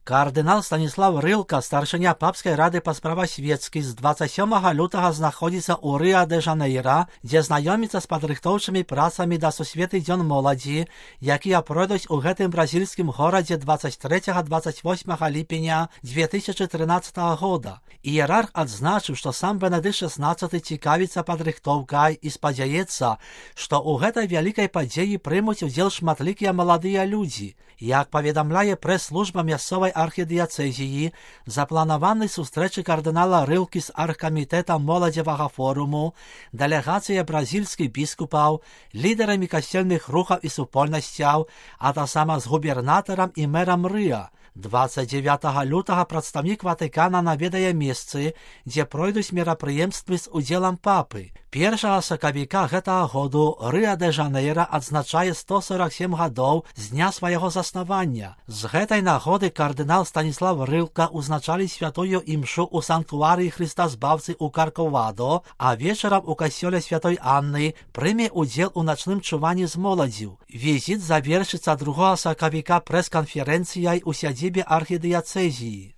Кардынал Станіслав Рылка, старшыня папскай рады па справах свецкіх, з 27 лютага знаходзіцца ў Рыа-дэ-Жанэйра, дзе знаёміцца з падрыхтоўчымі працамі да сусветны дзён моладзі, якія пройдуць у гэтым бразільскім горадзе 23-28 ліпеня 2013 года. Іерарх адзначыў, што сам Бенедыкт XVI цікавіцца падрыхтоўкай і спадзяецца, што ў гэтай вялікай падзеі прымуць удзел шматлікія маладыя людзі. Як паведамляе прэс-служба мясцовай архідыяцэзіі, запланаваны сустрэчы кардынала Рылкі з аргкамітэтам моладзевага форуму, дэлегацыя бразільскіх біскупаў, лідарамі касцельных рухаў і супольнасцяў, а таксама з губернатарам і мэрам Рыа. 29 лютага прадстаўнік Ватыкана наведае месцы, дзе пройдуць мерапрыемствы з удзелам папы. 1 сакавіка гэтага году Рыа-дэ-Жанэйра адзначае 147 гадоў з дня свайго заснавання. З гэтай нагоды кардынал Станіслав Рылка узначалі святую імшу ў санктуарыі Хрыста Збаўцы ў Карковадо, а вечарам у касцёле святой Анны прыме удзел у начным чуванні з моладзю. Візіт завершыцца 2 сакавіка прэс-канферэнцыяй у сядзібе архідыяцэзіі.